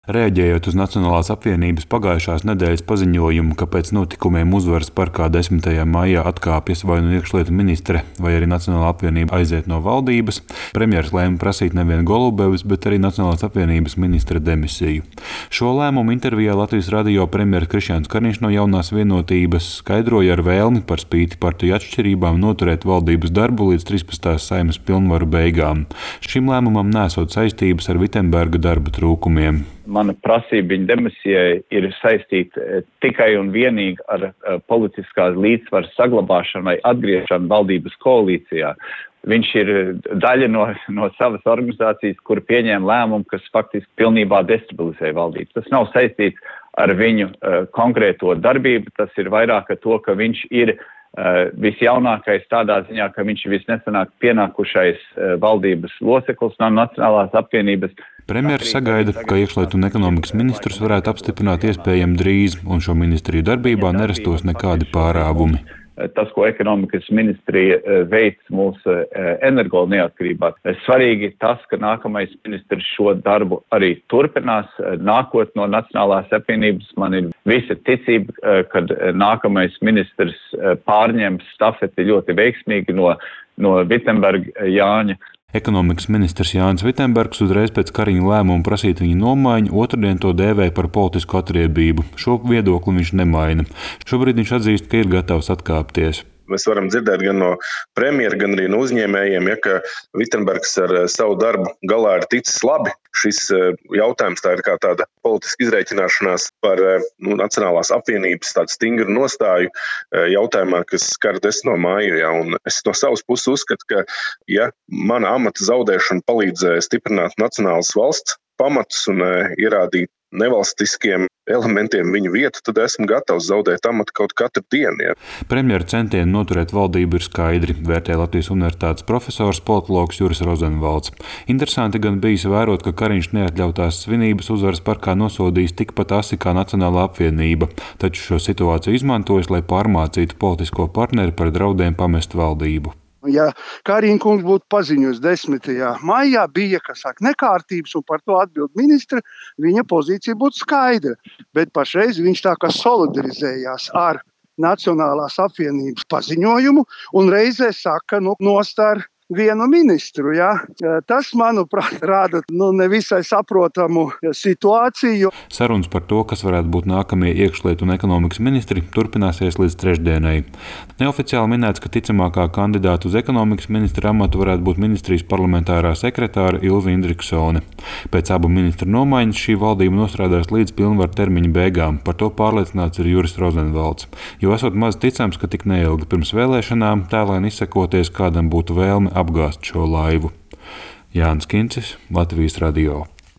Rēģējot uz Nacionālās apvienības pagājušās nedēļas paziņojumu, ka pēc notikumiem Uzvaras parkā 10. maijā atkāpjas vai nu iekšlietu ministre, vai arī Nacionālā apvienība aiziet no valdības, premjers lēma prasīt nevien Golubevis, bet arī Nacionālās apvienības ministra demisiju. Šo lēmumu intervijā Latvijas radio premjeras Krišjāns Kariņš no Jaunās vienotības skaidroja ar vēlmi par spīti partiju atšķirībām noturēt valdības darbu līdz 13. Saeimas pilnvaru beigām. Šim lēmumam nesot saistības ar Vitsenberga darba trūkumiem. Mana prasība viņa demisijai ir saistīta tikai un vienīgi ar politiskās līdzsvaras saglabāšanu vai atgriešanu valdības koalīcijā. Viņš ir daļa no savas organizācijas, kur pieņēma lēmumu, kas faktiski pilnībā destabilizēja valdību. Tas nav saistīts ar viņu konkrēto darbību, tas ir vairāk ar to, ka viņš ir visjaunākais tādā ziņā, ka viņš ir visnesenāk pienākušais valdības loceklis no Nacionālās apvienības. Premjeras sagaida, ka iekšlietu un ekonomikas ministrus varētu apstiprināt iespējami drīz, un šo ministriju darbībā nerastos nekādi pārāvumi. Tas, ko ekonomikas ministrija veic mūsu energo neatkarībā. Svarīgi tas, ka nākamais ministrs šo darbu arī turpinās, nākot no Nacionālās apvienības. Man ir visa ticība, kad nākamais ministrs pārņems stafeti ļoti veiksmīgi no Vitsenberga Jāņa. Ekonomikas ministrs Jānis Vitsenbergs uzreiz pēc Kariņa lēmuma prasīt viņa nomaiņu otrdien to dēvēja par politisku atriebību. Šo viedokli viņš nemaina. Šobrīd viņš atzīst, ka ir gatavs atkāpties. Mēs varam dzirdēt gan no premjera, gan arī no uzņēmējiem, ka Vitsenbergs ar savu darbu galā ir ticis labi. Šis jautājums tā ir kā tāda politiska izreikināšanās par Nacionālās apvienības tādu stingru nostāju jautājumā, kas skar 10. māju. Ja, un es no savas puses uzskatu, ka ja mana amata zaudēšana palīdz stiprināt nacionālas valsts pamatus un ierādīt nevalstiskiem elementiem viņu vietu, tad esmu gatavs zaudēt amatu kaut katru dienu. Ja. Premjera centieni noturēt valdību ir skaidri, vērtē Latvijas Universitātes profesors politologs Juris Rozenvalds. Interesanti gan bijis vērot, ka Kariņš neatļautās svinības Uzvaras parkā nosodījis tikpat asi kā Nacionālā apvienība, taču šo situāciju izmantojis, lai pārmācītu politisko partneri par draudiem pamest valdību. Ja Kariņa kungs būtu paziņojis 10. maijā, bija, nekārtības un par to atbild ministra, viņa pozīcija būtu skaidra. Bet pašreiz viņš tā kā solidarizējās ar Nacionālās apvienības paziņojumu un reizē saka, nost ar vienu ministru. Ja? Tas, manuprāt, rāda nevisai saprotamu situāciju. Sarunas par to, kas varētu būt nākamie iekšlietu un ekonomikas ministri, turpināsies līdz trešdienai. Neoficiāli minēts, ka ticamākā kandidāta uz ekonomikas ministra amatu varētu būt ministrijas parlamentārā sekretāra Ilze Indriksone. Pēc abu ministru nomaiņas šī valdība nostrādās līdz pilnvaru termiņa beigām. Par to pārliecināts ir Juris Rozenvalds. Jo esot maz ticams, ka tik neilgi pirms vēlēšanām tēlēni izsakoties, kādam būtu vēlme apgāzt šo laivu. Jānis Kincis, Latvijas radio.